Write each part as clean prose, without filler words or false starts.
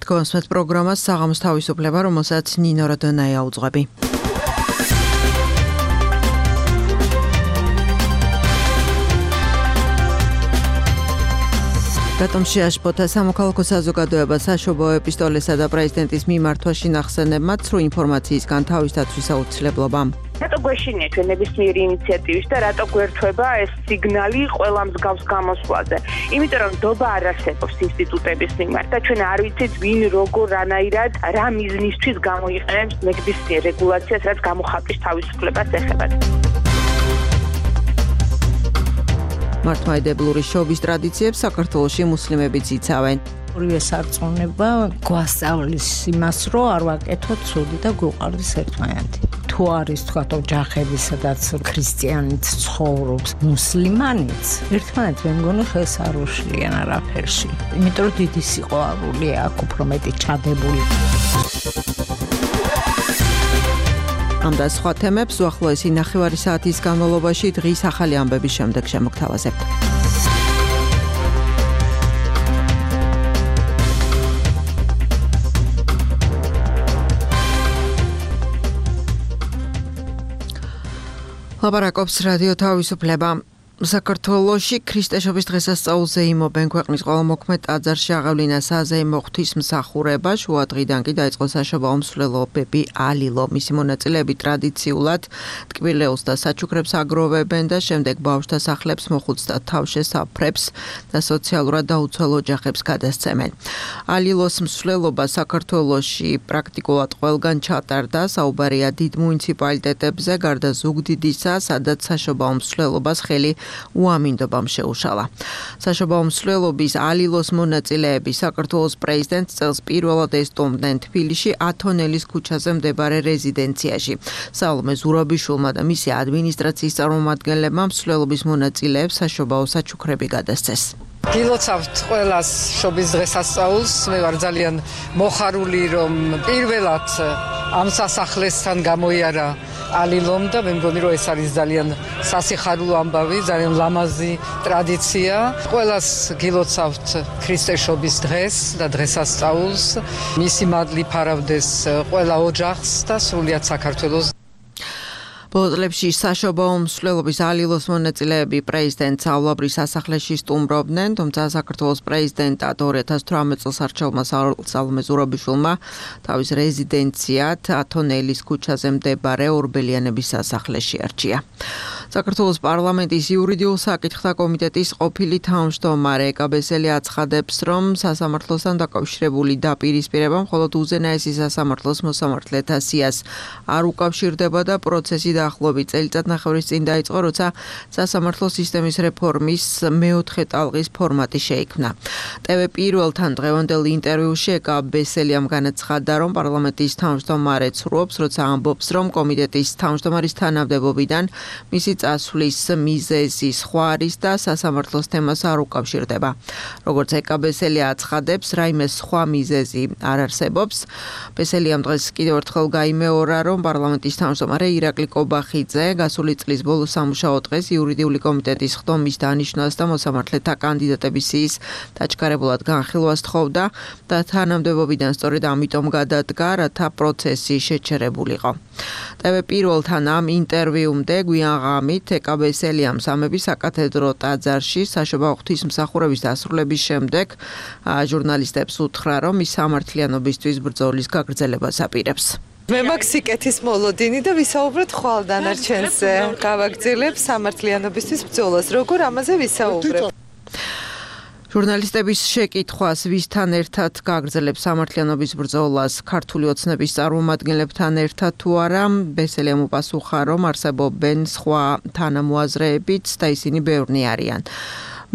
Თქვენს პროგრამას საღამოს თავისუფლება, რომელსაც ნინო როდონაია უძღვები. რატომ შეაშფოთა სამოქალაქო საზოგადოება საშობაო ეპისტოლესა და პრეზიდენტის მიმართვაში ნახსენებმა ცრუ ინფორმაციისგან თავის დაცვის აუცილებლობამ? რატო გვეშინია ჩვენ ნებისმიერი ინიციატივის და რატო გვერდება ეს სიგნალი ყველა მსგავს გამოსვლაზე? იმიტომ რომ ნდობა არ არსებობს ინსტიტუტების მიმართ და ჩვენ არ ვიცით ვინ როგორ რანაირად რა მიზნისთვის გამოიყენებს ნებისმიერ რეგულაციას, რაც გამოხატვის თავისუფლებას ეხება. მართლმადიდებლური შობის ტრადიციებს საქართველოში მუსლიმებიც იცავენ. ორივე სარწმუნება გვასწავლის იმას, რომ არ ვაკეთოთ ცუდი და გვიყვარდეს ერთმანეთი. თუ არის თქვათ ოჯახები, სადაც ქრისტიანიც ცხოვრობს, მუსლიმანიც, ერთმანეთს მე მგონი ხელს არ უშლიან არაფერში. იმიტომ რომ დიდი სიყვარულია აქ უფრო მეტი ჩადებული. ამ და სხვა თემებს უახლოესი ნახევარი საათის განმავლობაში დღის ახალი ამბების შემდეგ შემოგთავაზებთ. ლაპარაკობს რადიო თავისუფლება. საქართველოში ქრისტეშობის დღესასწაულზე იმობენ ქვეყნის ყველა მოქმედ ტაძარში აღევლინა საზეიმო ღვთისმსახურება. შუა დღიდან კი დაიწყო საშობაო მსვლელობები ალილო. მისი მონაწილეები ტრადიციულად ტკბილეულს და საჩუქრებს აგროვებენ და შემდეგ ბავშვთა სახლებს, მოხუც და თავშესაფრებს და სოციალურად დაუცველ ოჯახებს გადასცემენ. ალილოს მსვლელობა საქართველოში პრაქტიკულად ყველგან ჩატარდა. საუბარია დიდ მუნიციპალიტეტებზე, გარდა ზუგდიდისა, სადაც საშობაო მსვლელობას ხელი უამინდობამ შეუშალა. საშობაო მსვლელობის ალილოს მონაწილეები საქართველოს პრეზიდენტს წელს პირველად ესტუმრდნენ თბილისში ათონელის ქუჩაზე მდებარე რეზიდენციაში. სალომე ზურაბიშვილმა და მისი ადმინისტრაციის წარმომადგენლებმა მსვლელობის მონაწილეებს საშობაო საჩუქრები გადასცეს. გილოცავთ ყველას შობის დღესასწაულს. მე ვარ ძალიან მოხარული, რომ პირველად ამ სასახლესთან გამოიარა ალილომ და მე მგონი, რომ ეს არის ძალიან სასიხარულო ამბავი, ძალიან ლამაზი ტრადიცია. ყველას გილოცავთ ქრისტეშობის დღეს და დღესასწაულს. მისი მადლი ფარავდეს ყველა ოჯახს და სრულიად საქართველოს. ბოლო წლებში საშობაო მსვლელობის ალილოს მონაწილეები პრეზიდენტს ავლაბრის სასახლეში სტუმრობდნენ, თუმცა საქართველოს პრეზიდენტად 2018 წელს არჩეულმა სალომე ზურაბიშვილმა თავის რეზიდენციად ათონელის ქუჩაზე მდებარე ორბელიანების სასახლეში არჩია. საქართველოს პარლამენტის იურიდიულ საკითხთა კომიტეტის ყოფილი თავმჯდომარე ეკა ბესელი აცხადებს, რომ სასამართლოსთან დაკავშირებული დაპირისპირება მხოლოდ უზენაესი სასამართლოს მოსამართლეთა სიას არ უკავშირდება და პროცესი დაახლოებით წელიწადნახევრის წინ დაიწყო, როცა სასამართლო სისტემის რეფორმის მეოთხე ტალღის ფორმატი შეიქმნა. TV პირველთან დღევანდელ ინტერვიუში ეკა ბესელიამ განაცხადა, რომ პარლამენტის თავმჯდომარე ცრუობს, როცა ამბობს, რომ კომიტეტის თავმჯდომარის თანამდებობიდან მისი წასვლის მიზეზი სხვა არის და სასამართლოს თემას არ უკავშირდება. როგორც ეკა ბესელი აცხადებს, რაიმე სხვა მიზეზი არ არსებობს. ბესელიამ დღეს კიდევ ერთხელ გაიმეორა, რომ პარლამენტის თავმჯდომარე ირაკლი კობახიძე გასული წლის ბოლო სამუშაო დღეს იურიდიული კომიტეტის ხდომის დანიშვნას და მოსამართლეთა კანდიდატების სიის დაჩქარებულად განხილვას თხოვდა და თანამდებობიდან სწორედ ამიტომ გადადგა, რათა პროცესი შეჩერებულიყო. TV პირველთან ამ ინტერვიუმდე გვიან ღამით ეკა ბესელიამ სამების საკათედრო ტაძარში საშობაო ღვთისმსახურების დასრულების შემდეგ ჟურნალისტებს უთხრა, რომ ის სამართლიანობისთვის ბრძოლის გაგრძელებას აპირებს. მე მაქვს სიკეთის მოლოდინი და ვისაუბროთ ხვალ დანარჩენზე. გავაგრძელებ სამართლიანობისთვის ბრძოლას. როგორ ამაზე ვისაუბრებ? ჟურნალისტების შეკითხვას, ვისთან ერთად გაგრძელებს სამართლიანობის ბრძოლას, ქართული ოცნების წარმომადგენლებთან ერთად თუ არა, ბესელიამ უპასუხა, რომ არსებობენ სხვა თანამოაზრეებიც და ისინი ბევრნი არიან.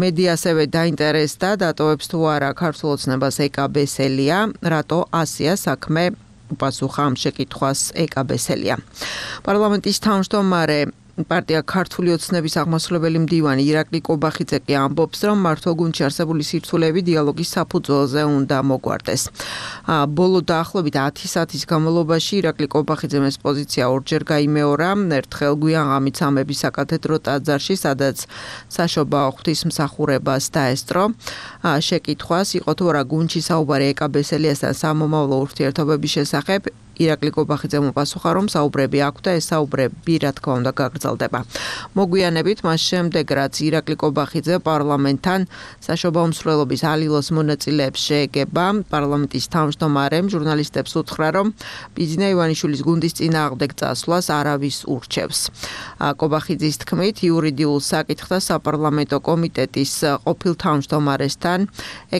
მედია ასევე დაინტერესდა, დატოვებს თუ არა ქართულ ოცნებას ეკა ბესელია, რატო ასია საქმე უპასუხა ამ შეკითხვას ეკა ბესელია. პარლამენტის თავმჯდომარე პარტია ქართული ოცნების აღმასრულებელი მდივანი ირაკლი კობახიძე კი ამბობს, რომ მართო გუნდში არსებული სირთულეები დიალოგის საფუძველზე უნდა მოგვარდეს. ბოლო დაახლოებით 10 საათის განმავლობაში ირაკლი კობახიძემ ეს პოზიცია ორჯერ გაიმეორა, ერთხელ გვიანღამით სამების საკათედრო ტაძარში, სადაც საშობაო ღვთისმსახურებას დაესწრო. შეკითხვას იყო თუ რა გუნდში საუბარი ეკაბესელიასთან სამომავლო ურთიერთობების შესახებ, ირაკლი კობახიძემ უპასუხა, რომ საუბრები აქვს და ეს საუბრები რა თქმა უნდა გაგრძელდება. მოგვიანებით მას შემდეგ, რაც ირაკლი კობახიძე პარლამენტთან საშობაო მსვლელობის ალილოს მონაწილეებს შეეგება, პარლამენტის თავმჯდომარემ ჟურნალისტებს უთხრა, რომ ბიძინა ივანიშვილის გუნდის წინააღმდეგ წასვლას არავის ურჩევს. კობახიძის თქმით, იურიდიულ საკითხთა საპარლამენტო კომიტეტის ყოფილ თავმჯდომარესთან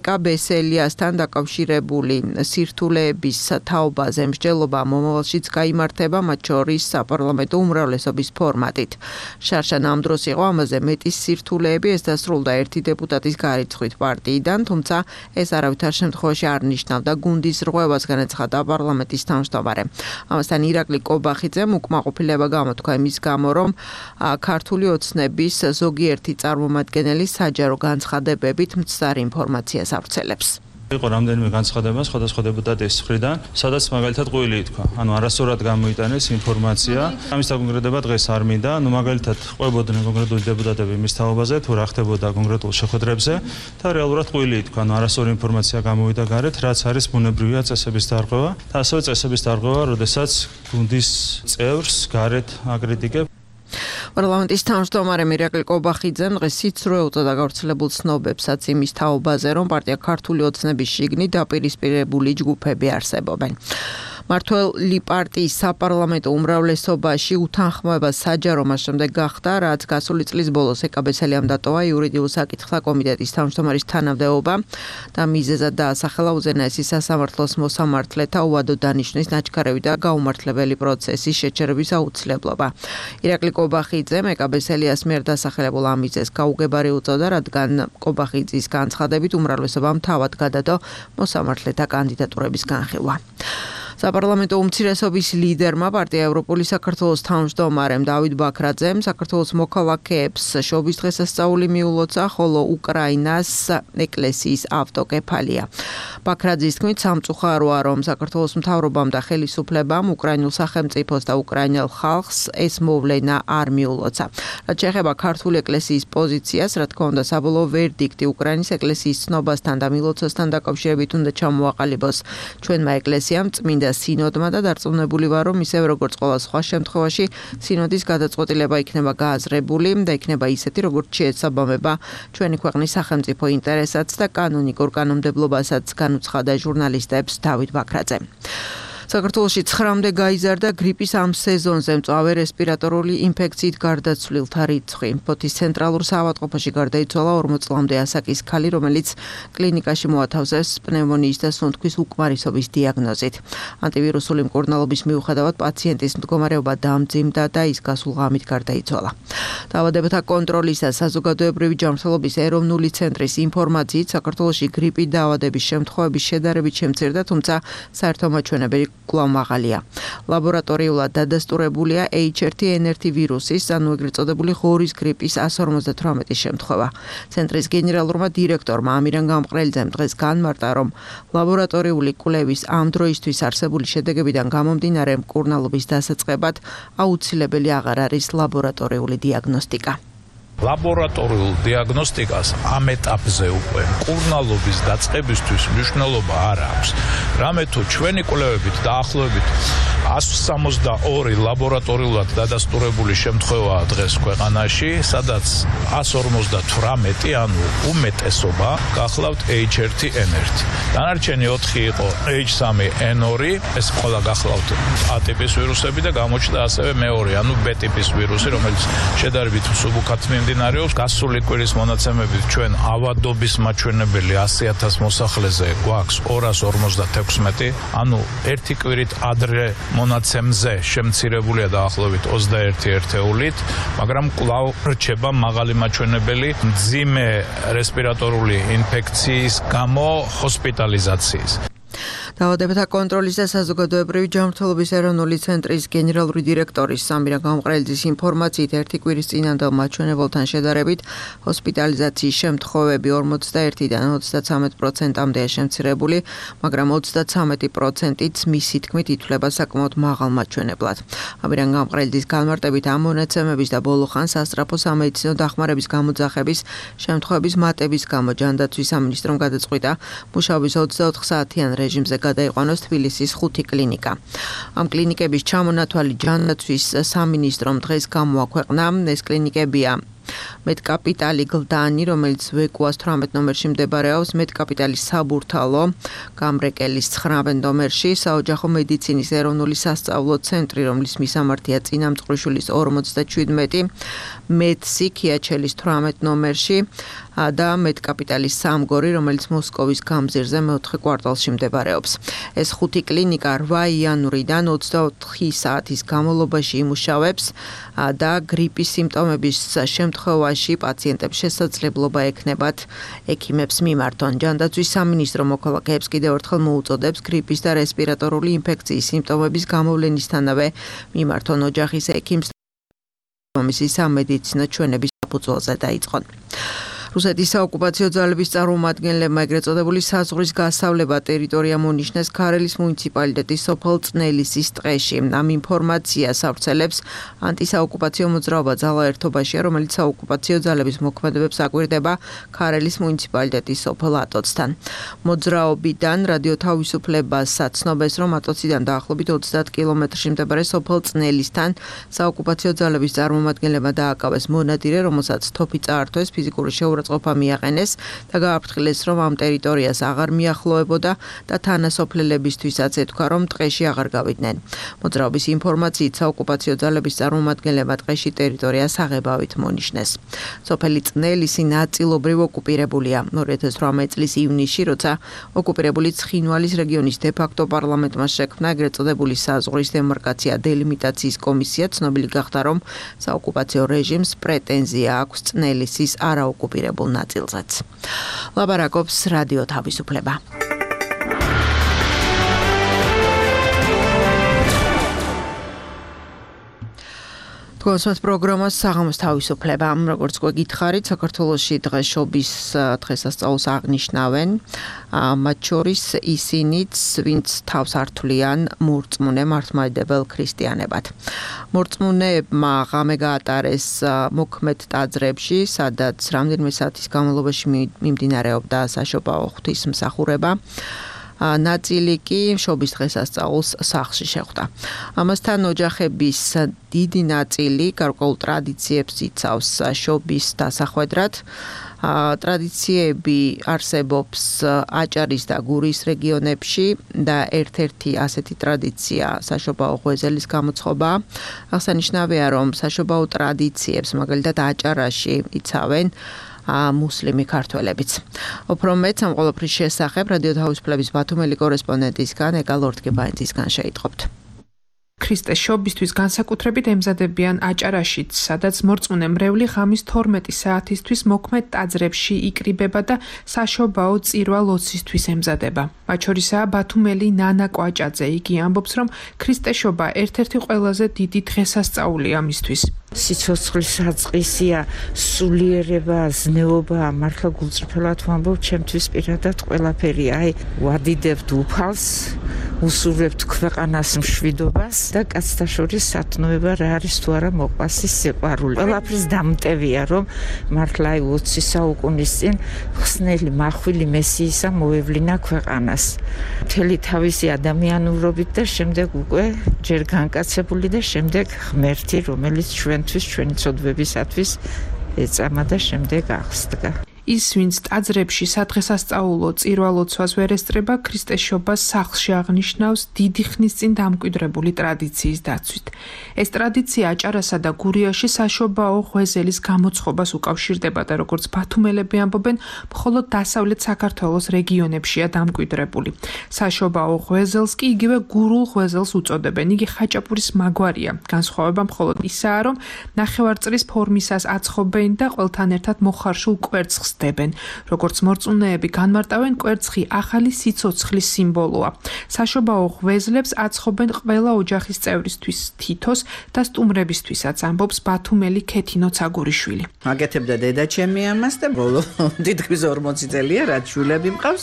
ეკაბესელიასთან დაკავშირებული სირთულეების თაობაზე მსჯელობა მომავალშიც გაიმართება, მათ შორის საპარლამენტო უმრავლესობის ფორმატით. შარშან ამ დროს იყო ამაზე მეტის სირთულეები, ეს დასრულდა ერთი დეპუტატის გარიცხვით პარტიიდან, თუმცა ეს არავითარ შემთხვევაში არ ნიშნავდა გუნდის რღვევას, განაცხადა პარლამენტის თავმჯდომარე. ამასთან ირაკლი კობახიძემ უკმაყოფილება გამოთქვა იმის გამო, რომ ქართული ოცნების ზოგიერთი წარმომადგენელი საჯარო განცხადებებით მცდარ ინფორმაციას ავრცელებს. იყო რამდენიმე განცხადება სხვადასხვა დეპუტატის მხრიდან, სადაც მაგალითად ყვილი ითქვა. არასწორად გამოიტანეს ინფორმაცია. ამის დაკონკრეტება დღეს არ მინდა. მაგალითად ყვებოდნენ კონკრეტული დეპუტატები მის თაობაზე, თუ რა ხდებოდა კონკრეტულ შეხვედრებზე და რეალურად ყვილი ითქვა. არასწორი ინფორმაცია გამოვიდა გარეთ, რაც არის ბუნებრივია წესების დარღვევა და ასევე წესების დარღვევა, როდესაც გუნდის წევრს გარეთ აკრიტიკებს. პარლამენტის თავმჯდომარე ირაკლი კობახიძემ დღეს სიცრუე უწოდა გავრცელებულ ცნობებსაც იმის თაობაზე, რომ პარტია ქართული ოცნების შიგნით დაპირისპირებული ჯგუფები არსებობენ. მართველი პარტიის საპარლამენტო უმრავლესობაში უთანხმოება საჯარო მას შემდეგ გახდა, რაც გასული წლის ბოლოს ეკაბესელიამ დატოვა იურიდიულ საკითხთა კომიტეტის თავმჯდომარის თანამდებობა და მიზეზად დაასახელა უზენაესი სასამართლოს მოსამართლეთა უადო დანიშვნის ნაჩქარევი და გაუმართლებელი პროცესის შეჩერების აუცილებლობა. ირაკლი კობახიძემ ეკაბესელიას მიერ დასახელებულ ამ მიზეზს გაუგებარი უწოდა, რადგან კობახიძის განცხადებით უმრავლესობამ თავად გადადო მოსამართლეთა კანდიდატურების განხილვა. საპარლამენტო უმცირესობის ლიდერმა პარტია ევროპული საქართველოს თავმჯდომარემ დავით ბაქრაძემ საქართველოს მოქალაქეებს შობის დღესასწაული მიულოცა, ხოლო უკრაინას ეკლესიის ავტოკეფალია. ბაქრაძის თქმით, სამწუხაროა, რომ საქართველოს მთავრობამ და ხელისუფლებამ უკრაინულ სახელმწიფოს და უკრაინელ ხალხს ეს მოვლენა არ მიულოცა. რაც შეეხება ქართული ეკლესიის პოზიციას, რა თქმა უნდა, საბოლოო ვერდიქტი უკრაინის ეკლესიის ცნობასთან და მილოცასთან დაკავშირებით უნდა ჩამოაყალიბოს ჩვენმა ეკლესიამ, წმინდა სინოდმა და დარწმუნებული ვარ, რომ ისევ როგორც ყველა სხვა შემთხვევაში სინოდის გადაწყვეტილება იქნება გააზრებული და იქნება ისეთი, როგორც შეესაბამება ჩვენი ქვეყნის სახელმწიფო ინტერესats და კანონიკურ კანონმდებლობასაც განუცხადა ჟურნალისტებს დავით ბაქრაძემ. საქართველოში 9-მდე გაიზარდა გრიპის ამ სეზონზე მწვავე რესპირატორული ინფექციით გარდაცვლილთა რიცხვი. ფოთის ცენტრალურ საავადმყოფოში გარდაიცვალა 40 წლამდე ასაკის ქალი, რომელიც კლინიკაში მოათავსეს პნევმონიის და სუნთქვის უკმარისობის დიაგნოზით. ანტივირუსული მკურნალობის მიუხედავად პაციენტის მდგომარეობა დამძიმდა და ის გასულ ღამით გარდაიცვალა. დაავადებათა კონტროლის და საზოგადოებრივი ჯანმრთელობის ეროვნული ცენტრის ინფორმაციით, საქართველოში გრიპით დაავადების შემთხვევების შედარებით შემცირდა, თუმცა საერთო მაჩვენებელი კვლავ მაღალია. ლაბორატორიულად დადასტურებულია H1N1 ვირუსის, ანუ ეგრეთ წოდებული ღორის გრიპის 158 შემთხვევა. ცენტრის გენერალურმა დირექტორმა ამირან გამყრელიძემ დღეს განმარტა, რომ ლაბორატორიული კვლევის ამ დროისთვის არსებული შედეგებიდან გამომდინარე მკურნალობის დასაწყებად აუცილებელი აღარ არის ლაბორატორიული დიაგნოსტიკა. ლაბორატორიულ დიაგნოსტიკას ამ ეტაპზე უკვე მკურნალობის დაწყებისთვის მნიშვნელობა არ აქვს. რამე თუ ჩვენი კვლევებით დაახლოებით 162 ლაბორატორიულად დადასტურებული შემთხვევაა დღეს ქვეყანაში, სადაც 158, ანუ უმეტესობა გახლავთ H1N1. დანარჩენი 4 იყო H3N2, ეს ყველა გახლავთ A ტიპის ვირუსები და გამოჩნდა ასევე მეორე, ანუ B ტიპის ვირუსი, რომელიც შედარებით მსუბუქად მიმდინარეობს. გასული კვირის მონაცემებით ჩვენ ავადობის მაჩვენებელი 100,000 მოსახლეზე გვაქვს 256, ანუ ერთი კვირით ადრე მონაცემზე შემცირებულია დაახლოებით 21 ერთეულით, მაგრამ კვლავ რჩება მაღალი მაჩვენებელი მძიმე რესპირატორული ინფექციის გამო ჰოსპიტალიზაციის. დაავადებათა კონტროლის და საზოგადოებრივი ჯანმრთელობის ეროვნული ცენტრის გენერალური დირექტორის სამირა გამყრელიძის ინფორმაციით ერთი კვირის წინანდელ მაჩვენებელთან შედარებით ჰოსპიტალიზაციის შემთხვევები 41-დან 33%-მდეა შემცირებული, მაგრამ 33%-იც მისი თქმით ითვლება საკმაოდ მაღალ მაჩვენებლად. ამირა გამყრელიძის განმარტებით ამ მონაცემების და ბოლო ხანს სასწრაფო სამედიცინო დახმარების გამოძახების შემთხვევების მატების გამო ჯანდაცვის სამინისტრომ გადაწყვიტა მუშაობის 24 საათიან რეჟიმზე გადაიყვანოს თბილისის 5 კლინიკა. ამ კლინიკების ჩამონათვალი ჯანდაცვის სამინისტრომ დღეს გამოაქვეყნა. ეს კლინიკებია მეტკაპიტალი გლდანი, რომელიც ვეკუას 18 ნომერში მდებარეობს, მეტკაპიტალის საბურთალო, გამრეკელის 19 ნომერში, საოჯახო მედიცინის ეროვნული სასწავლო ცენტრი, რომლის მისამართია წინამწყვრიშვილის 57, მეტსი ქიაჩელის 18 ნომერში და მეტკაპიტალის სამგორი, რომელიც მოსკოვის გამზირზე მეოთხე კვარტალში მდებარეობს. ეს 5 კლინიკა 8 იანვრიდან 24 საათის განმავლობაში იმუშავებს და გრიპის სიმპტომების შემთხვევაში პაციენტებს შესაძლებლობა ექნებათ ექიმებს მიმართონ. ჯანდაცვის სამინისტრო მოქალაქეებს კიდევ ერთხელ მოუწოდებს გრიპის და რესპირატორული ინფექციის სიმპტომების გამოვლენისთანავე მიმართონ ოჯახის ექიმს მისი სამედიცინო ჩვენების საფუძველზე დაიწყონ. რუსეთის საოკუპაციო ძალების წარმომადგენლებმა ეგრეთ წოდებული საზღვრის გასავლება ტერიტორია მონიშნეს ქარელის მუნიციპალიტეტის სოფელ წნელისის ტყეში. ამ ინფორმაციას ავრცელებს ანტისაოკუპაციო მოძრაობა ძალა ერთობაშია, რომელიც საოკუპაციო ძალების მოქმედებებს აკვირდება ქარელის მუნიციპალიტეტის სოფელ ატოცთან. მოძრაობიდან რადიო თავისუფლებას ცნობს, რომ ატოციდან დაახლოებით 30 კილომეტრში მდებარე სოფელ წნელისთან საოკუპაციო ძალების წარმომადგენლებმა დააკავეს მონადირე, რომელსაც თოფი წაართვეს, ფიზიკური წყობა მიაყენეს და გააფრთხილეს, რომ ამ ტერიტორიას აღარ მიახლოებოდა და თანასოფლელებისთვისაც ეთქვა, რომ ტყეში აღარ გავიდნენ. მოძრაობის ინფორმაციით საოკუპაციო ძალების წარმომადგენლებმა ტყეში ტერიტორიას აღებავით მონიშნეს. სოფელი წნელისი ნაწილობრივ ოკუპირებულია. 2018 წლის ივნისში, როცა ოკუპირებული ცხინვალის რეგიონის დე-ფაქტო პარლამენტმა შექმნა ეგრეთ წოდებული საზღვრის დემარკაცია დელიმიტაციის კომისია, ცნობილი გახდა, რომ საოკუპაციო რეჟიმს პრეტენზია აქვს წნელისის არაოკუპირებულ ნაწილზეც. ლაბარაკობს რადიო თავისუფლება. თქვენს პროგრამას საღამოს თავისუფლება. როგორც გითხარით, საქართველოში დღესშობის დღესასწაულს აღნიშნავენ. მათ შორის ისინიც, ვინც თავს ართვლიან მორწმუნე მართლმადიდებელ ქრისტიანებად. მორწმუნეებმა ღამე გაატარეს მოქმედ ტაძრებში, სადაც რამდენიმე საათის განმავლობაში მიმდინარეობდა საშობაო ღვთისმსახურება. ნაწილი კი შობის დღესასწაულს სახლში შეხვდა. ამასთან ოჯახების დიდი ნაწილი გარკვეულ ტრადიციებს იცავს შობის დასახვედრად. ტრადიციები არსებობს აჭარის და გურის რეგიონებში და ერთ-ერთი ასეთი ტრადიცია საშობაო ღვეძელის გამოცხობა. აღსანიშნავია, რომ საშობაო ტრადიციებს მაგალითად აჭარაში იცავენ მუსლიმი ქართველებიც. უფრო მეტ ამ ყველაფრის შესახებ რადიო თავისუფლების ბათუმელი კორესპონდენტისგან ეკა ლორთგებაინძისგან შეიტყობთ. ქრისტეს შობისთვის განსაკუთრებით ემზადებიან აჭარაშიც, სადაც მორწმუნე მრევლი ღამის 12 საათისთვის მოქმედ ტაძრებში იკრიბება და საშობაო წირვა ლოცვისთვის ემზადება. მათ შორისაა ბათუმელი ნანა კვაჭაძე. იგი ამბობს, რომ ქრისტეს შობა ერთ-ერთი ყველაზე დიდი დღესასწაულია მისთვის. სიცოცხლის საწყისია, სულიერება, ზნეობა, მართლა გულწრფელად ვამბობ, ჩემთვის პირადად ყველაფერი. ვადიდებთ უფალს, უსურვებთ ქვეყანას მშვიდობას და კაცთა შორის სათნოება რა არის თუ არა მოყვასის სიყვარული. ყველაფრის დამტევია, რომ მართლა 20 საუკუნის წინ ხსნელი მახვილი მესიისა მოევლინა ქვეყანას. მთელი თავისი ადამიანურობით და შემდეგ უკვე ჯერ განკაცებული და შემდეგ ღმერთი, რომელიც ჩვენი ცოდვებისათვის ეწამა და შემდეგ აღსდგა. ის, ვინც ტაძრებში სადღესასწაულო წირვა-ლოცვას ვერ ესწრება, ქრისტეს შობას სახლში აღნიშნავს დიდი ხნის წინ დამკვიდრებული ტრადიციის დაცვით. ეს ტრადიცია აჭარასა და გურიაში საშობაო ღვეძელის გამოცხობას უკავშირდება და როგორც ბათუმელები ამბობენ, მხოლოდ დასავლეთ საქართველოს რეგიონებშია დამკვიდრებული. საშობაო ღვეძელს კი იგივე გურულ ღვეძელს უწოდებენ. იგი ხაჭაპურის მაგვარია. განსხვავება მხოლოდ ისაა, რომ ნახევარწრის ფორმისას აცხობენ და ყველთან ერთად მოხარშულ კვერცხს დებენ. როგორც მორწმუნეები განმარტავენ, კვერცხი ახალი სიცოცხლის სიმბოლოა. საშობაო ღვეზლებს აცხობენ ყველა ოჯახის წევრისთვის თითოს და სტუმრებისთვისაც, ამბობს ბათუმელი ქეთინო ცაგურიშვილი. მაგეთებდა დედა ჩემი ამას და ბოლო თითქმის 40 წელია რაც შვილები მყავს,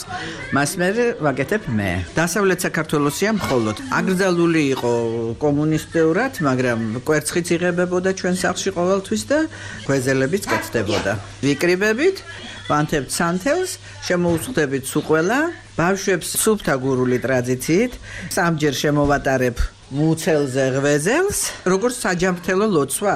მას მე ვაკეთებ მე. დასავლეთ საქართველოსია მხოლოდ აკრძალული იყო კომუნისტეურად, მაგრამ კვერცხიც იღებებოდა ჩვენ სახლში ყოველთვის და ღვეზელებიც კეთდებოდა. ვიკრიბებით, ვანთებთ სანთელს, შემოუწყდებით სუყველა, ბავშვებს სუფთა გურული ტრადიციით, სამჯერ შემოვატარებ მუცელზე ღვეზელს, როგორც საჯამრთელო ლოცვა,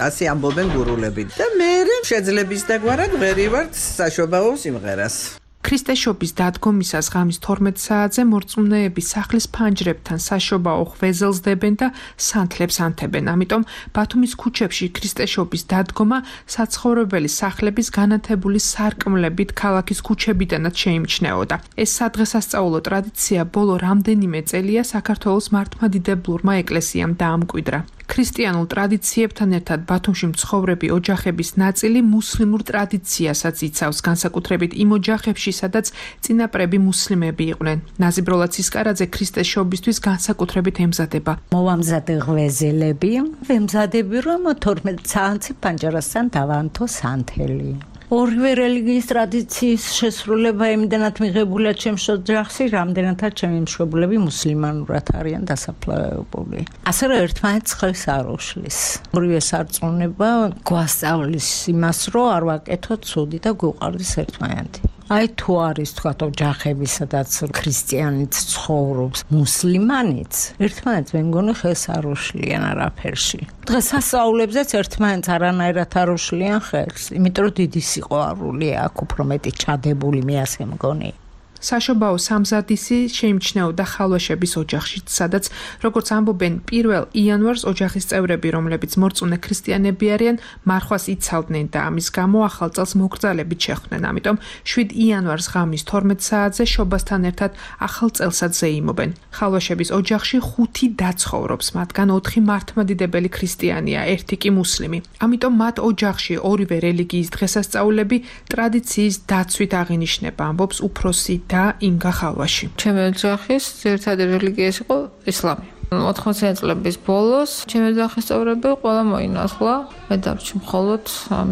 ასე ამბობენ გურულები. და მე შეძლების დაგვარად ვერივართ საშობაო სიმღერას. ქრისტეშობის დადგომისას ღამის 12 საათზე მორწმუნეები სახლის ფანჯრებთან საშობაო ღვეზელს დებენ და სანთლებს ანთებენ. ამიტომ ბათუმის ქუჩებში ქრისტეშობის დადგომა საცხოვრებელი სახლების განათებული სარკმლებით ქალაქის ქუჩებიდანაც შეიმჩნეოდა. ეს სადღესასწაულო ტრადიცია ბოლო რამდენიმე წელია საქართველოს მართლმადიდებლურმა ეკლესიამ დაამკვიდრა. ქრისტიანულ ტრადიციებთან ერთად ბათუმში მცხოვრები ოჯახების ნაწილი მუსლიმურ ტრადიციასაც იცავს, განსაკუთრებით იმ ოჯახებში, სადაც წინაპრები მუსლიმები იყვნენ. ნაზიბროლა ცისკარაძე ქრისტეშობისთვის განსაკუთრებით ემზადება. მოვამზადე ღვეზელები, ვემზადები რომ 12 საათზე პანჯარასთან დავანთო სანთელი. ორივე რელიგიის ტრადიციის შესრულება იმდენად მიღებულა ჩემს ოჯახში, რამდენადაც ჩემი მშობლები მუსლიმანურად არიან დასაფლავებული. ასე რომ ერთმანეთს ხელს არ უშლის. ორივე სარწმუნება გვასწავლის იმას, რომ არ ვაკეთოთ ცუდი და გვიყვარდეს ერთმანეთი. აი თუ არის თქვათ ოჯახები, სადაც ქრისტიანიც ცხოვრობს, მუსლიმანიც, ერთმანეთს მე მგონი ხელს არ უშლიან არაფერში. დღესასწაულებზეც ერთმანეთს არანაირად არ უშლიან ხელს, იმიტომ რომ დიდი სიყვარულია აქ უფრო მეტი ჩადებული, მე ასე მგონი. საშობაო სამზადისი შეიმჩნეოდა ხალვაშების ოჯახში, სადაც, როგორც ამბობენ, 1 იანვარს ოჯახის წევრები, რომლებიც მორწმუნე ქრისტიანები არიან, მარხვას იცავდნენ და ამის გამო ახალ წელს მოგრძალებით შეხვდნენ. ამიტომ 7 იანვარს ღამის 12 საათზე შობასთან ერთად ახალ წელსაც ზეიმობენ. ხალვაშების ოჯახში 5 და ცხოვრობს, მათგან 4 მართლმადიდებელი ქრისტიანია, 1 კი მუსლიმი. ამიტომ მათ ოჯახში ორივე რელიგიის დღესასწაულები ტრადიციის დაცვით აღინიშნება, ამბობს უფროსი და ინგა ხალვაში. ჩემი ოჯახის ძირითადი რელიგია იყო ისლამი. 80 წლების ბოლოს ჩემი ოჯახის წევრები ყველა მოინათლა. მე დარჩი მხოლოდ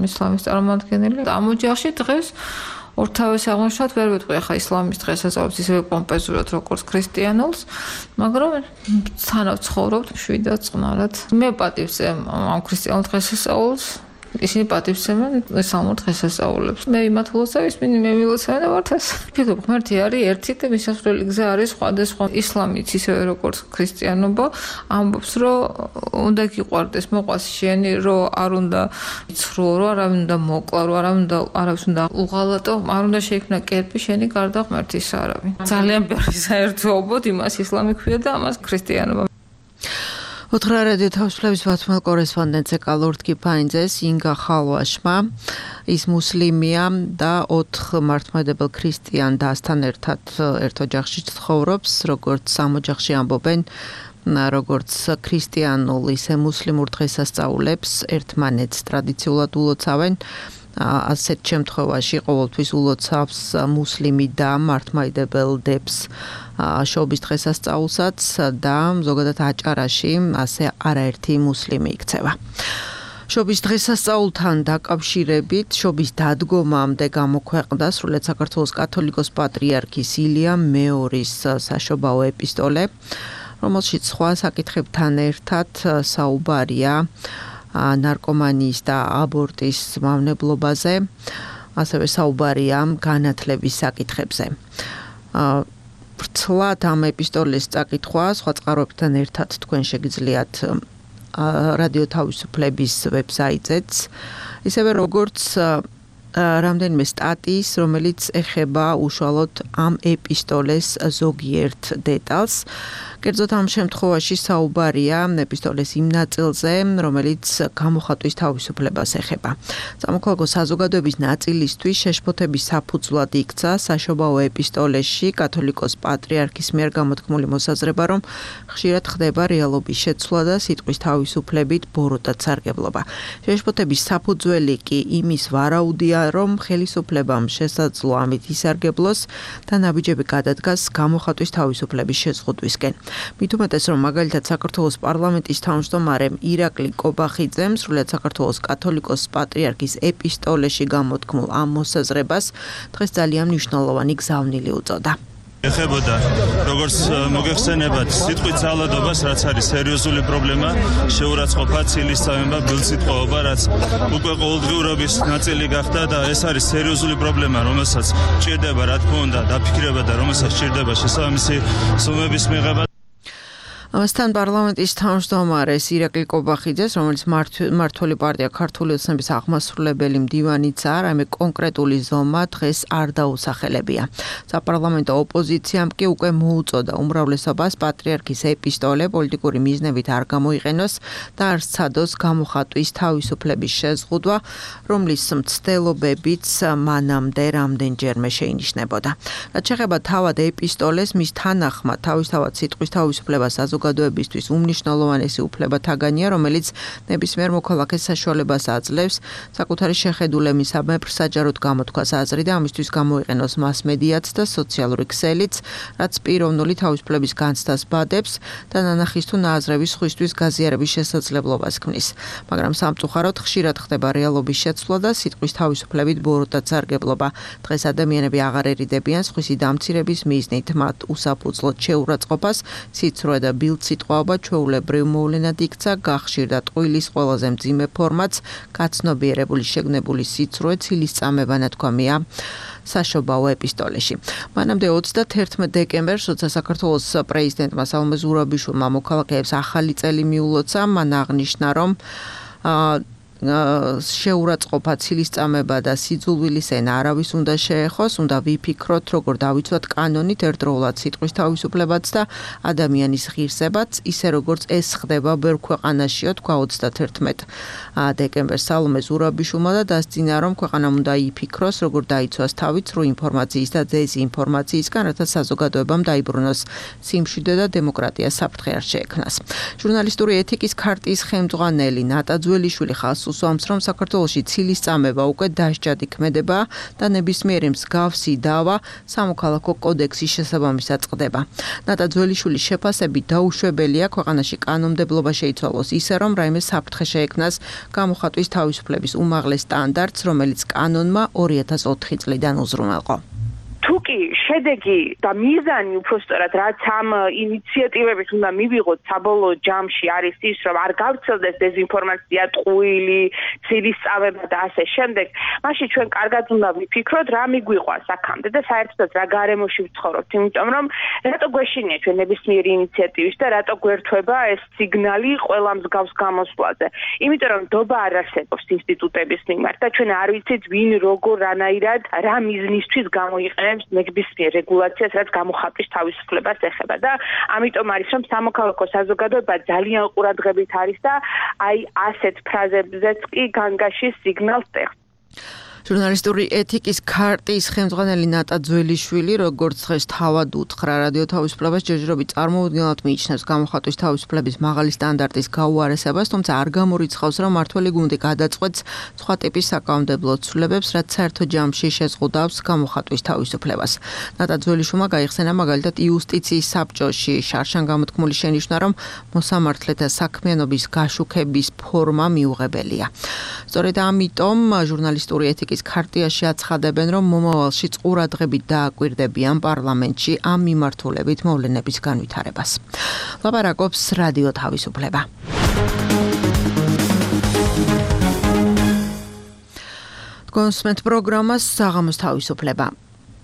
ისლამის წარმომადგენელი. ამ ოჯახში დღეს ორთავის აღნიშნავთ ვერ ვიტყვი ახლა ისლამის დღესასწაულს ისევე პომპეზურად როგორც ქრისტიანულს, მაგრამ თანაც ცხოვრობთ მშვიდად, წყნარად. მე პატივცემ ამ ქრისტიანულ დღესასწაულს. ისინი პატივცემენ ისლამურ დღესასწაულებს. მე იმათლოსავ ისინი მე მილოცავენ ვართ ეს. ფიქრობ, ღმერთი არის ერთი და მისასვლელი გზა არის სხვადასხვა. ისლამიც ისევე როგორც ქრისტიანობა ამბობს, რომ უნდა გიყვარდეს, მოყვას შენი, რომ არ უნდა იცრო, რომ არავინ უნდა მოკლა, რომ არავის უნდა უღალატო, არ უნდა შეიქმნა კერპი შენი გარდა ღმერთის არავინ. ძალიან ბევრი საერთოობოდ იმას ისლამი ქვია და ამას ქრისტიანობა. ოთხრარადი თავისუფლების ბათუმელ კორესპონდენტზე კალურთ კიფაინძეს ინგა ხალვაშმა ის მუსლიმია და 4 მართლმადიდებელ ქრისტიან დასთან ერთად ერთ ოჯახში ცხოვრობს, როგორც სამ ოჯახში ამბობენ, როგორც ქრისტიანულ ისე მუსლიმურ დღესასწაულებს ერთმანეთს ტრადიციულად ულოცავენ. ასეთ შემთხვევაში ყოველთვის ულოცავს მუსლიმი და მართლმადიდებელ დებს შობის დღესასწაულსაც და ზოგადად აჭარაში ასე არაერთი მუსლიმი იქცევა. შობის დღესასწაულთან დაკავშირებით შობის დადგომამდე გამოქვეყნდა სრულიად საქართველოს კათოლიკოს პატრიარქის ილია მეორის საშობაო ეპისტოლე, რომელშიც სხვა საკითხებთან ერთად საუბარია ნარკომანიის და აბორტის მავნებლობაზე, ასევე საუბარია განათლების საკითხებზე. ვრცლად ამ ეპისტოლეს წაკითხვა სხვა წყაროებთან ერთად თქვენ შეგიძლიათ რადიო თავისუფლების ვებსაიტზეც, ისევე როგორც რამდენიმე სტატიის, რომელიც ეხება უშუალოდ ამ ეპისტოლეს ზოგიერთ დეტალს. კერძოდ ამ შემთხვევაში საუბარია ეპისტოლეს იმ ნაწილზე, რომელიც გამოხატვის თავისუფლებას ეხება. სამოქალაქო საზოგადოების ნაწილისთვის შეშფოთების საფუძვლად იქცა საშობაო ეპისტოლეში კათოლიკოს პატრიარქის მიერ გამოთქმული მოსაზრება, რომ ხშირად ხდება რეალობის შეცვლა და სიტყვის თავისუფლებით ბოროტად სარგებლობა. შეშფოთების საფუძველი კი იმის ვარაუდია, რომ ხელისუფლებამ შესაძლო ამით ისარგებლოს და ნაბიჯები გადადგას გამოხატვის თავისუფლების შეზღუდვისკენ. მით უმეტეს, რომ მაგალითად საქართველოს პარლამენტის თავმჯდომარემ ირაკლი კობახიძემ სრულიად საქართველოს კათოლიკოს პატრიარქის ეპისტოლეში გამოთქმულ ამ მოსაზრებას დღეს ძალიან მნიშვნელოვანი გზავნილი უწოდა. ეხებოდა როგორც მოგეხსენებათ სიტყვის ძალადობას, რაც არის სერიოზული პრობლემა, შეურაცხყოფა, ცილისწამება, ბილსიტყვაობა, რაც უკვე ყოველდღიურობის ნაწილი გახდა და ეს არის სერიოზული პრობლემა, რომელსაც ჭირდება, რა თქმა უნდა, დაფიქრება და რომელსაც ჭირდება შესაბამისი სუმების მიღება. ამასთან პარლამენტის თავმჯდომარეს ირაკლი კობახიძეს, რომელიც მმართველი პარტია ქართული ოცნების აღმასრულებელი მდივანიც არ, ამე კონკრეტული ზომა დღეს არ დაუსახელებია. საპარლამენტო ოპოზიციამ კი უკვე მოუწოდა უმრავლესობას პატრიარქის ეპისტოლე პოლიტიკური მიზნებით არ გამოიყენოს და არ სცადოს გამოხატვის თავისუფლების შეზღუდვა, რომლის მცდელობებიც მანამდე რამდენჯერმე შეინიშნებოდა. რაც შეეხება თავად ეპისტოლეს, მის თანახმად თავისთავად სიტყვის თავისუფლებას საზოგადოებისთვის უმნიშვნელოვანესი უფლებათაგანია, რომელიც ნებისმიერ მოქალაქეს საშუალებას აძლევს საკუთარი შეხედულებისამებრ საჯაროდ გამოთქვას აზრი და ამისთვის გამოიყენოს მასმედიაც და სოციალური ქსელიც, რაც პიროვნული თავისუფლების განცდას ბადებს და ნანახის თუ ნააზრების სხვისთვის გაზიარების შესაძლებლობას ქმნის. მაგრამ სამწუხაროდ ხშირად ხდება რეალობის შეცვლა და სიტყვის თავისუფლებით ბოროტად სარგებლობა. დღეს ადამიანები აღარ ერიდებიან სხვისი დამცირების მიზნით მათ უსაფუძვლოდ შეურაცხყოფას, სიცრუე და ბილდსიტყვაობა ჩვეულებრივ მოვლენად იქცა, გახშირდა ტყუილის ყველაზე მძიმე ფორმაც, გაცნობიერებული შეგნებული სიცრუე, ცილისწამება ნათქვამია საშობაო ეპისტოლეში. მანამდე 31 დეკემბერს, როცა საქართველოს პრეზიდენტმა სალომე ზურაბიშვილმა მოქალაქეებს ახალი წელი მიულოცა, მან აღნიშნა, რომ შეურაცხყოფა, ცილისწამება და სიძულვილის ენა არავის უნდა შეეხოს, უნდა ვიფიქროთ, როგორ დავიცვათ კანონით ერთდროულად სიტყვის თავისუფლებაც და ადამიანის ღირსებაც, ისე როგორც ეს ხდება ბევრ ქვეყანაშიო, თქვა 31 დეკემბერს სალომე ზურაბიშვილმა და დასძინა, რომ ქვეყანამ უნდა იფიქროს, როგორ დაიცვას თავი ცრუ ინფორმაციის და დეზინფორმაციისგან, რათა საზოგადოებამ დაიბრუნოს სიმშვიდე და დემოკრატია საფრთხე არ შეექმნას. ჟურნალისტური ეთიკის ქარტიის ხელმძღვანელი ნატა ძველიშვილი ხალხს უსვამს, რომ საქართველოში ცილისწამება უკვე დასჯადი ქმედება და ნებისმიერი მსგავსი დავა სამოქალაქო კოდექსის შესაბამისად წყდება. ნატა ძველიშვილის შეფასებით დაუშვებელია ქვეყანაში კანონმდებლობა შეიცვალოს ისე, რომ რაიმე საფრთხე შეექმნას გამოხატვის თავისუფლების უმაღლეს სტანდარტს, რომელიც კანონმა 2004 წლიდან უზრუნველყო. თუკი შედეგი და მიზანი უბრალოდ რაც ამ ინიციატივებით უნდა მივიღოთ საბოლოო ჯამში არის ის, რომ არ გავრცელდეს დეზინფორმაცია, ტყუილი, ცილისწამება და ასე შემდეგ, მაშინ ჩვენ კარგად უნდა ვიფიქროთ, რა მიგვიყვა აქამდე და საერთოდ რა გარემოში ვცხოვრობთ, იმიტომ რომ რატო გვეშინია ჩვენ ნებისმიერი ინიციატივის და რატო გვერთვება ეს სიგნალი ყველა მსგავს გამოსვლაზე. იმიტომ რომ დობა არ არსებობს ინსტიტუტების მიმართ და ჩვენ არ ვიცით ვინ როგორ რანაირად რა მიზნისთვის გამოიყენებს ნებისმიერ რეგულაციას, რაც გამოხატვის თავისუფლებას ეხება და ამიტომ არის რომ სამოქალაქო საზოგადოება ძალიან ყურადღებით არის და აი ასეთ ფრაზებზეც კი განგაში სიგნალს წერს. ჟურნალისტური ეთიკის ქარტიის ხელმძღვანელი ნატა ძველიშვილი, როგორც დღეს თავად უთხრა რადიო თავისუფლებას, ჯერჯერობით წარმოუდგენლად მიიჩნევს გამოხატვის თავისუფლების მაღალი სტანდარტის გაუარესებას, თუმცა არ გამორიცხავს, რომ მმართველი გუნდი გადაწყვეტს სხვა ტიპის საკანონმდებლო ცვლილებებს, რაც საერთო ჯამში შეზღუდავს გამოხატვის თავისუფლებას. ნატა ძველიშვილმა გაიხსენა მაგალითად იუსტიციის საბჭოში შარშან გამოთქმული შენიშვნა, რომ მოსამართლეთა საქმიანობის გაშუქების ფორმა მიუღებელია. სწორედ ამიტომ ჟურნალისტური ეთიკის ქარტიაში აცხადებენ, რომ მომავალში ყურადღებით დააკვირდებიან პარლამენტში ამ მიმართულებით მოვლენების განვითარებას. ლაპარაკობს რადიო თავისუფლება. კონსმენტ პროგრამას საღამოს თავისუფლება.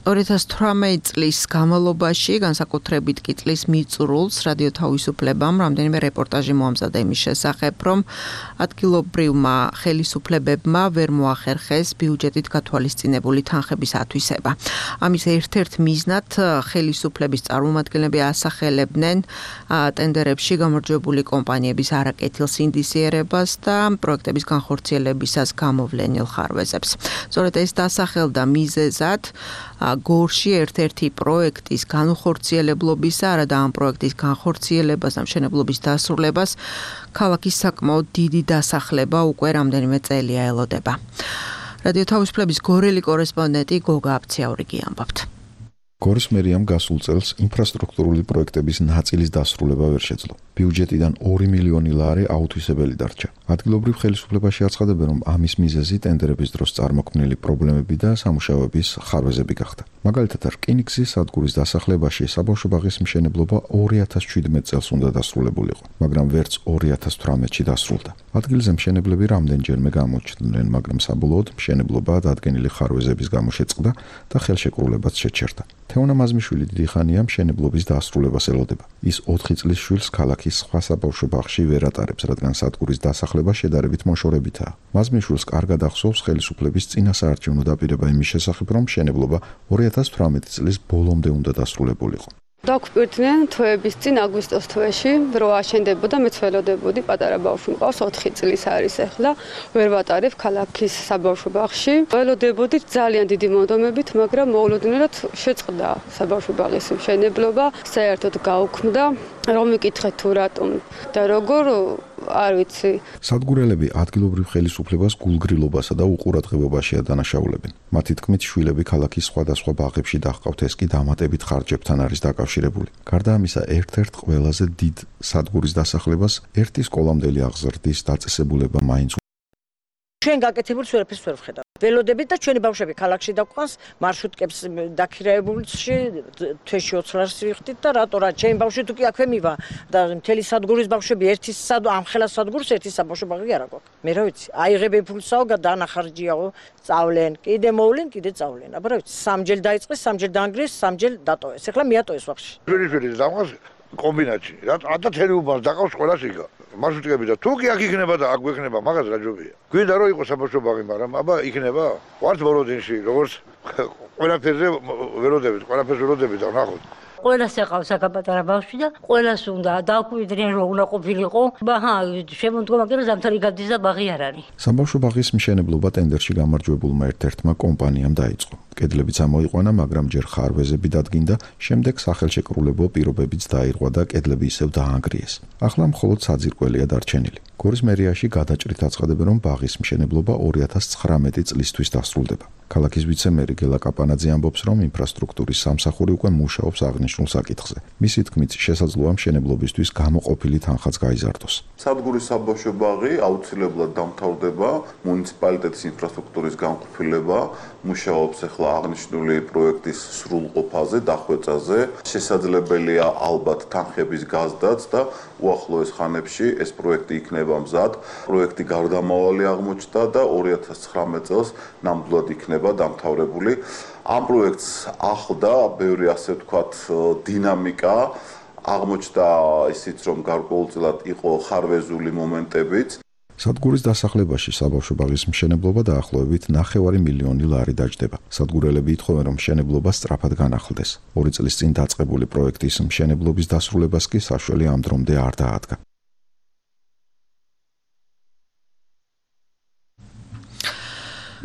2018 წლის განმავლობაში, განსაკუთრებით კი წლის მიწურულს, რადიო თავისუფლებამ რამდენიმე რეპორტაჟი მოამზადა იმის შესახებ, რომ ადგილობრივმა ხელისუფლებებმა ვერ მოახერხეს ბიუჯეტით გათვალისწინებული თანხების ათვისება. ამის ერთ-ერთ მიზნად ხელისუფლების წარმომადგენლები ასახელებდნენ ტენდერებში გამარჯვებული კომპანიების არაკეთილ სინდისიერებას და პროექტების განხორციელებისას გამოვლენილ ხარვეზებს. სწორედ ეს დასახელდა მიზეზად გორში ერთ-ერთი პროექტის განხორციელებლობისა, არადა ამ პროექტის განხორციელებას და მშენებლობის დასრულებას ქალაქის საკმაოდ დიდი დასახლება უკვე რამდენიმე წელია ელოდება. რადიო თავისუფლების გორელი კორესპონდენტი გოგა აფციაურიგი ამბობთ. გორის მერიამ გასულ წელს ინფრასტრუქტურული პროექტების ნაწილის დასრულება ვერ შეძლო. ბიუჯეტიდან 2 მილიონი ლარი აუთვისებელი დარჩა. ადგილობრივ ხელისუფლებაში აცხადებენ, რომ ამის მიზეზი ტენდერების დროს წარმოქმნილი პრობლემები და სამუშაოების ხარვეზები გახდა. მაგალითად, რკინიგზის სადგურის დასახლებაში საბავშვო ბაღის მშენებლობა 2017 წელს უნდა დასრულებულიყო, მაგრამ ვერც 2018-ში დასრულდა. ადგილზე მშენებლები რამდენჯერმე გამოჩნდნენ, მაგრამ საბოლოოდ მშენებლობა დადგენილი ხარვეზების გამო შეწყდა და ხელშეკრულებაც შეჩერდა. თეონა მაზმიშვილი დიდი ხანია მშენებლობის დასრულებას ელოდება. ის 4 წლის შვილს ქალაქის სხვა საბავშვო ბაღში ვერ ატარებს, რადგან სადგურის დასახლება შედარებით მოშორებითაა. მაზმიშვილს კარგად ახსოვს ხელისუფლების წინა საარჩევნო დაპირება იმის შესახებ, რომ მშენებლობა 2018 წლის ბოლომდე უნდა დასრულებულიყო. დაგვპირდნენ თვეების წინ აგვისტოს თვეში, რო აშენდებოდა, მეც ველოდებოდი, პატარა ბავშვი მყავს, 4 წლის არის ახლა, ვერ ვატარებ ქალაქის საბავშვო ბაღში. ველოდებოდი ძალიან დიდი მონდომებით, მაგრამ მოულოდნელად შეწყდა საბავშვო ბაღის მშენებლობა, საერთოდ გაუქმდა. რომ მიკითხეთ თუ რატომ და როგორ არ ვიცი. სადგურელები ადგილობრივ ხელისუფლებას გულგრილობასა და უყურადღებობაშია დანაშაულებენ. მათი თქმით, შვილები ქალაქის სხვადასხვა ბაღებში დაჰყავთ, ეს კი დამატებით ხარჯებთან არის დაკავშირებული. გარდა ამისა, ერთ-ერთ ყველაზე დიდ სადგურის დასახლებას ერთი სკოლამდელი აღზრდის დაწესებულება მაინც ჩვენ გაკეთებულს ვერაფერს ვერ ვხედავთ. ველოდებით და ჩვენი ბავშვები ქალაქში დაგვყავს, მარშრუტკებს დაქირავებულში თვეში 20 ლარს ვიხდით და რატო რა ჩემი ბავშვი თუ კი აქვე მივა და მთელი სადგურის ბავშვები ამ ხელა სადგურს ერთი საბავშვო ბაღი არ აქვს. მე რა ვიცი, აიღებენ ფულსაო დანახარჯიაო, სწავლენ, კიდე მოვლენ, კიდე სწავლენ. აბა რა ვიცი, სამჯერ დაიწყეს, სამჯერ დაანგრიეს, სამჯერ დატოვეს. ეხლა მიატოვეს ვახში. ჩვენი დამყავს კომბინაცი. რა თერი უბანს დაყავს ყველა სიგა. მარშრუტკები და თუ კი აქ იქნება და აქ გვექნება, მაგას რა ჯობია. გვინდა რომ იყოს საბავშვო ბაღი, მაგრამ აბა იქნება. ვართ ბოლოდინში, როგორც ყველაფერზე ველოდებით, ყველაფერს ველოდებით და ნახოთ. ყველას ეყავს აქ პატარა ბავშვი და ყველას უნდა დააკვირდნენ რომ უნდა ყოფილიყო. ბაჰა, შემოდგომა კიდე ზამთარი გადის და ბაღი არ არის. საბავშვო ბაღის მშენებლობა ტენდერში გამარჯვებულმა ერთ-ერთმა კომპანიამ დაიწყო. კედლებიც ამოიყვანა, მაგრამ ჯერ ხარვეზები დადგინდა, შემდეგ სახელშეკრულებო პირობებიც დაირღვა და კედლები ისევ დაანგრიეს. ახლა მხოლოდ საძირკველია დარჩენილი. გორის მერიაში გადაჭრით აცხადებენ, რომ ბაღის მშენებლობა 2019 წლისთვის დასრულდება. ქალაქის ვიცე-მერი გელა კაპანაძე ამბობს, რომ ინფრასტრუქტურის სამსახური უკვე მუშაობს აღნიშნულ საკითხზე. მისი თქმით, შესაძლოა მშენებლობისთვის გამოყოფილი თანხაც გაიზარდოს. სადგურის საბავშვო ბაღი აუცილებლად დამთავრდება, მუნიციპალიტეტის ინფრასტრუქტურის განყოფილება მუშაობს ახლა აღნიშნული პროექტის სრულყოფაზე, დახვეწაზე. შესაძლებელია ალბათ თანხების გაზრდაც და უახლოეს ხანებში ეს პროექტი იქნება მზად. პროექტი გარდამავალი აღმოჩნდა და 2019 წელს ნამდვილად იქნება დამთავრებული. ამ პროექტს ახლდა ბევრი ასე ვთქვათ დინამიკა, აღმოჩნდა ისიც რომ გარკვეულწილად იყო ხარვეზული მომენტებიც. სადგურის დასახლებაში საბავშვო ბაღის მშენებლობა დაახლოებით 9 მილიონი ლარი დაჯდება. სადგურელები ითხოვენ, რომ მშენებლობა სწრაფად განახლდეს. 2 წლის წინ დაწყებული პროექტის მშენებლობის დასრულებას კი საშველი ამ დრომდე არ დაადგა.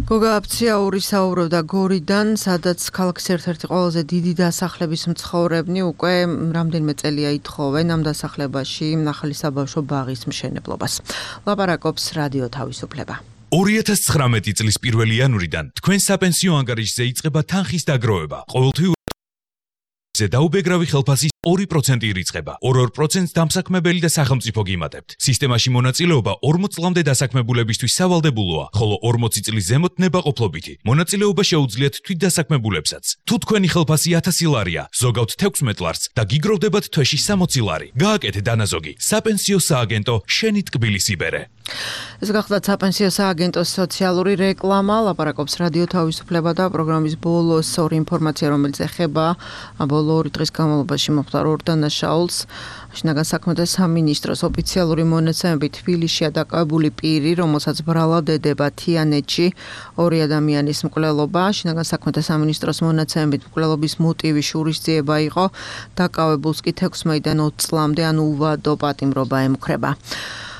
გოგა აფციაური საუბრობდა გორიდან, სადაც ქალაქის ერთ-ერთი ყველაზე დიდი დასახლების მცხოვრებნი უკვე რამდენიმე წელია ითხოვენ ამ დასახლებაში ახალი საბავშვო ბაღის მშენებლობას. ლაპარაკობს რადიო თავისუფლება. 2019 წლის 1 იანვრიდან თქვენ საპენსიო ანგარიშზე იწყება თანხის დაგროვება. ყოველთვიურ დაუბეგრავი ხელფასის 2% ირიცხება. 2% დამსაქმებელი და სახელმწიფო გიმატებთ. სისტემაში მონაწილეობა 40 წლამდე დასაქმებულებისთვის სავალდებულოა, ხოლო 40 წლის ზემოთ ნებაყოფლობითი. მონაწილეობა შეუძლიათ თვითდასაქმებულებსაც. თუ თქვენი ხელფასი 1000 ლარია, ზოგავთ 16 ლარს და გიგროვდებათ თვეში 60 ლარი. გააკეთე დანაზოგი. საპენსიო სააგენტო შენი ტკბილის იბერე. ეს გახლავთ საპენსიო სააგენტოს სოციალური რეკლამა, ლაპარაკობს რადიო თავისუფლება და პროგრამის ბოლოს ორი ინფორმაცია, რომელიც ეხება ბოლო 2 დღის განმავლობაში მოხდა ორ დანაშაულს. შინაგან საქმეთა სამინისტროს ოფიციალური მონაცემებით თბილისშია დაკავებული პირი, რომელსაც ბრალად ედება თიანეთში 2 ადამიანის მკვლელობა. შინაგან საქმეთა სამინისტროს მონაცემებით მკვლელობის მოტივი შურისძიება იყო, დაკავებულს კი 16-დან 20 წლამდე ან უვადო პატიმრობა ემუქრება.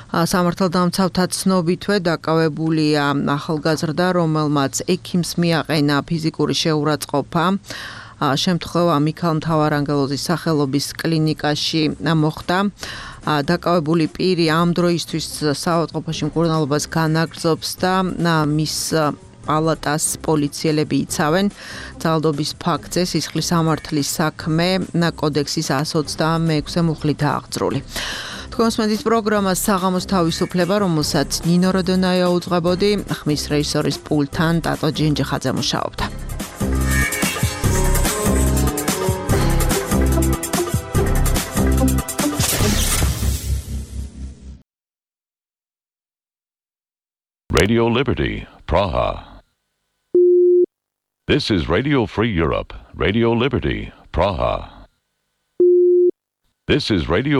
სამართალდამცავთა ცნობითვე დაკავებულია ახალგაზრდა, რომელმაც ექიმს მიაყენა ფიზიკური შეურაცხყოფა. შემთხვევა მიქალ მთავარანგელოზის სახელობის კლინიკაში მოხდა. დაკავებული პირი ამ დროისთვის საავადმყოფოში მკურნალობას განაგრძობს და მის პალატას პოლიციელები იცავენ. ძალადობის ფაქტზე სისხლის სამართლის საქმე კოდექსის 126 მუხლი დააღწრული. თქვენს პროგრამას საღამოს თავისუფლება, რომელსაც ნინო როდონაია უძღვებოდი, ხმის რეჟისორის პულტთან ტატო ჯინჯიხაძე მუშაობდა. Radio Liberty, Praha. This is Radio Free Europe, Radio Liberty, Praha. This is Radio